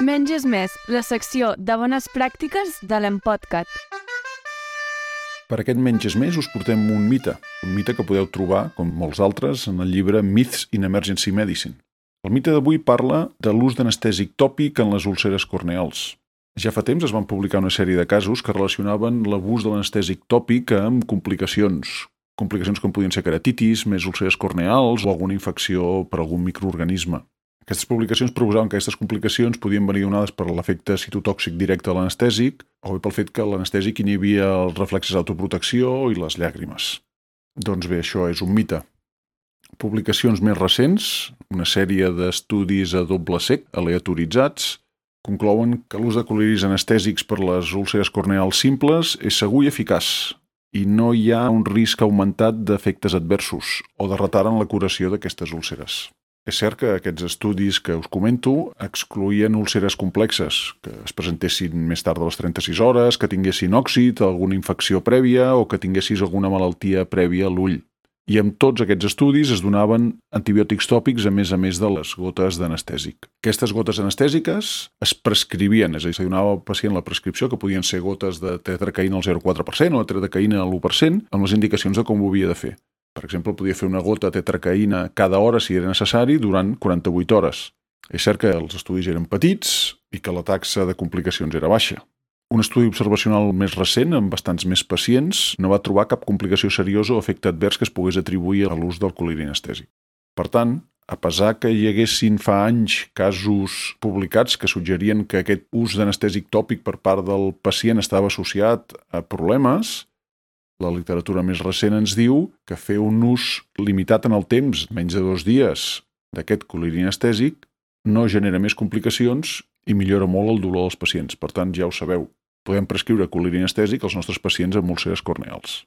Menys és més, la secció de bones pràctiques de l'Empodcat. Per aquest Menys és més us portem un mite que podeu trobar, com molts altres, en el llibre Myths in Emergency Medicine. El mite d'avui parla de l'ús d'anestèsic tòpic en les úlceres corneals. Ja fa temps es van publicar una sèrie de casos que relacionaven l'abús de l'anestèsic tòpic amb complicacions com podien ser keratitis, més úlceres corneals o alguna infecció per algun microorganisme. Aquestes publicacions proposaven que aquestes complicacions podien venir donades per l'efecte citotòxic directe de l'anestèsic o bé pel fet que l'anestèsic inhibia els reflexes d'autoprotecció i les llàgrimes. Doncs bé, això és un mite. Publicacions més recents, una sèrie d'estudis a doble cec, aleatoritzats, conclouen que l'ús de col·liris anestèsics per les úlceres corneals simples és segur i eficaç i no hi ha un risc augmentat d'efectes adversos o de retard en la curació d'aquestes úlceres. És cert que aquests estudis que us comento excloïen úlceres complexes, que es presentessin més tard de les 36 hores, que tinguessin òxid, alguna infecció prèvia o que tinguessis alguna malaltia prèvia a l'ull. I amb tots aquests estudis es donaven antibiòtics tòpics a més de les gotes d'anestèsic. Aquestes gotes anestèsiques es prescrivien, és a dir, se donava al pacient la prescripció que podien ser gotes de tetracaïna al 0,4% o de tetracaïna al 1%, amb les indicacions de com ho havia de fer. Per exemple, podia fer una gota de tetracaïna cada hora si era necessari durant 48 hores. És cert que els estudis eren petits i que la taxa de complicacions era baixa. Un estudi observacional més recent, amb bastants més pacients, no va trobar cap complicació seriosa o efecte advers que es pogués atribuir a l'ús del col·liri anestèsic. Per tant, a pesar que hi haguessin fa anys casos publicats que suggerien que aquest ús d'anestèsic tòpic per part del pacient estava associat a problemes, la literatura més recent ens diu que fer un ús limitat en el temps, menys de 2 dies, d'aquest col·liri anestèsic, no genera més complicacions i millora molt el dolor dels pacients. Per tant, ja ho sabeu, podem prescriure col·liri anestèsic als nostres pacients amb úlceres corneals.